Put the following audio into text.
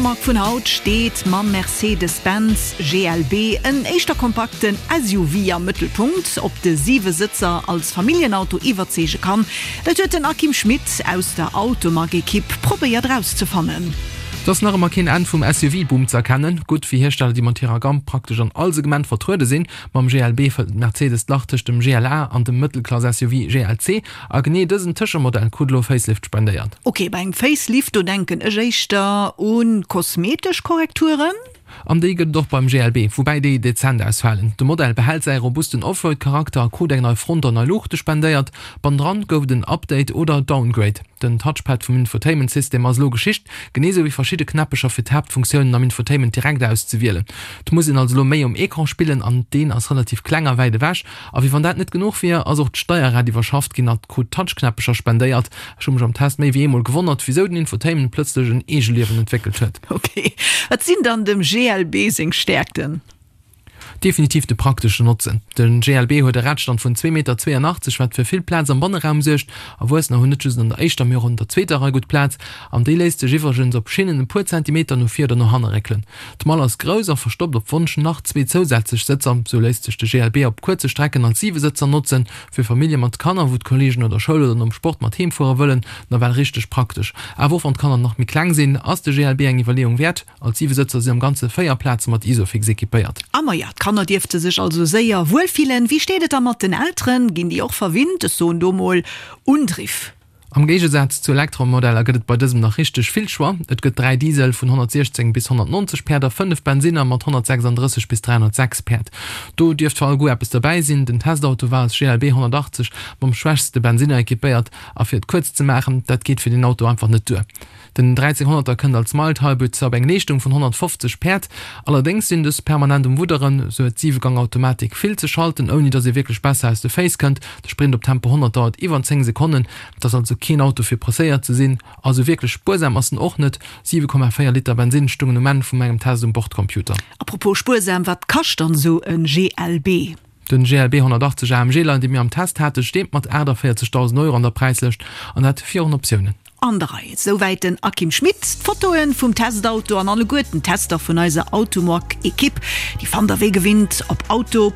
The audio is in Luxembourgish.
Automag vun haut steet mam Mercedes-Benz GLB en éischter kompakten SUV am Mëttelpunkt. Ob de Siwesëtzer als Familljenauto iwwerzeege kann, dat huet den Akim Schmit aus der Automag-Ekipp probéiert erauszefannen. Et ass nach ëmmer keen Enn vum SUV-Boom ze erkennen. Gutt fir Hiersteller, déi mat hirer Gamm praktesch an all Segment vertruede sinn. Mam GLB fëllt Mercedes d'Lach tëscht dem GLA an dem Mëttelklass-SUV GLC. A genee dësen Tëschemodell krut elo e Facelift spendéiert. Ok, bei engem Facelift, do denken ech éischter u kosmetesch Korrekturen. An déi gëtt et och beim GLB, woubäi déi dezent ausfalen. De Modell behält säi robusten Offroad-Charakter a krut eng nei Front an nei Luuchte spendéiert. Bannendran gouf et en Update oder Downgrade. Den Touchpad vum Infotainment-System ass elo Geschicht, genee sou wéi verschidde Knäppecher fir d'Haaptfunktiounen am Infotainment direkt auszewielen. Et muss een also elo méi um Ecran spillen an deen ass relativ kleng a wäit ewech. A wéi wann dat net genuch wier, ass och d'Steierrad iwwerschafft ginn a krut Touchknäppecher spendéiert. Ech hu mech am Test méi wéi eemol gewonnert, wisou den Infotainment plëtzlech en Eegeliewen entwéckelt huet. Ok, wat sinn dann dem GLB seng Stäerkten? Definitiv de prakteschen Notzen. De GLB huet e Radstand vun 2,82 Meter, wat fir vill Plaz am Banneraum suergt. Erwuessener hunn net just an der éischter, mee och an der zweeter Rei gutt Plaz. An déi léisst sech iwwregens op Schinnen e puer Zentimeter no vir oder no hanne réckelen. D'Mall ass grouss a verstoppt op Wonsch nach zwee zousätzlech Sëtzer. Sou léisst sech de GLB op kuerze Strecken als Siwesëtzer notzen. Fir Famillje mat Kanner, wou d'Kolleegen no der Schoul oder nom Sport mat heem fuere wëllen, nawell richteg praktesch. Awer och wann d'Kanner nach méi kleng sinn, ass de GLB eng Iwwerleeung wäert. Als Siwesëtzer sinn am Ganze 4 Plaze mat Isofix equipéiert. A maja, d'Kanner dierfte sech also séier wuel fillen. Wéi steet et da mat den Elteren? Ginn déi och verwinnt? Ech soen do mol Undriff. Am Géigesaz zu Elektromodeller gëtt et bei dësem nach richteg vill Choix. Et gëtt 3 Diesel vun 116 bis 190 Päerd a 5 Bensinner mat 136 bis 306 Päerd. Do dierft fir all Goût eppes derbäi sinn. Den Testauto war als GLB 180 mam schwächste Bensinner equipéiert a fir et kuerz ze maachen, dat geet fir deen Auto einfach net duer. Den 1300er kënnt als Mild Hybrid zwar op eng Leeschtung vun 150 Päerd, allerdéngs sinn dës permanent um Wudderen, sou huet d'Siwegang-Automatik vill ze schalten, ouni datt ee wierklech besser aus de Féiss kënnt. De Sprint op Tempo 100 dauert iwwer 10 Sekonnen, et ass also keen Auto fir presséiert ze sinn. A sou wierklech spuersam ass en och net, 7,4 Liter Bensinn stungen um Enn vu mengem Test um Bordcomputer. Apropos spuersam, wat kascht dann esou e GLB? Den GLB 180 AMG Line, dee mir am Test haten, steet mat 48.000 Euro an der Präislëscht, an dat virun Optiounen. An der Rei. Souwäit den Akim Schmit. D'Fotoen vum Testauto an alleguerten d'Tester vun eiser Automag-Ekipp, déi fannt der wéi gewinnt op auto.rtl.lu.